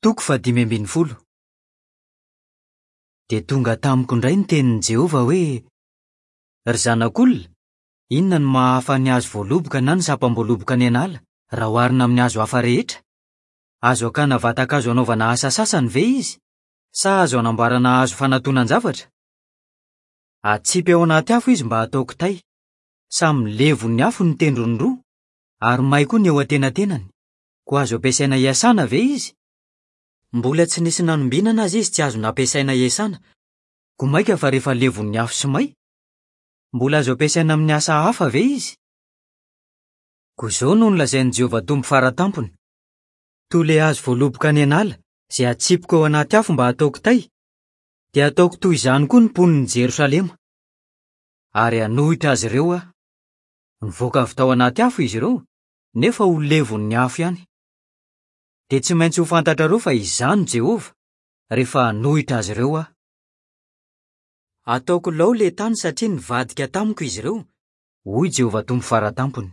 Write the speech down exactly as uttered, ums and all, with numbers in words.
Toko fahadimy ambin'ny folo. Dia tonga tamiko indray ny tenin'i Jehovah hoe: "Ry zanak'olona, inona no maha-hafa ny hazo voaloboka na ny sampam-boaloboka any an'ala raha oharina amin'ny hazo hafa rehetra? Azo akana vatan-kazo anaovana asa sasany ve izy, sa azo anamboarana hazo fanantonan-javatra? Atsipy ao anaty afo izy mba hatao kitay. Samy levon'ny afo ny tendrony roa, ary may koa ny eo antenatenany. Koa azo ampiasaina hiasana ve izy? Mbola tsy nisy nanombinana aza izy tsy azo nampiasaina hiasana, koa mainka fa rehefa levon'ny afo sy may? Mbola azo ampiasaina amin'ny asa hafa ve izy? Koa izao no nolazain'i Jehovah Tompo Fara Tampony: Toy ilay hazo voaloboka any an'ala izay atsipiko ao anaty afo mba hatao kitay, dia hataoko toy izany koa ny mponin'i Jerosalema. Ary hanohitra azy ireo aho. Nivoaka avy tao anaty afo izy ireo, nefa ho levon'ny afo ihany. Dia tsy maintsy ho fantatrareo fa izaho no Jehovah, rehefa hanohitra azy ireo aho. Hataoko lao ilay tany satria nivadika tamiko izy ireo, hoy Jehovah Tompo Fara Tampony.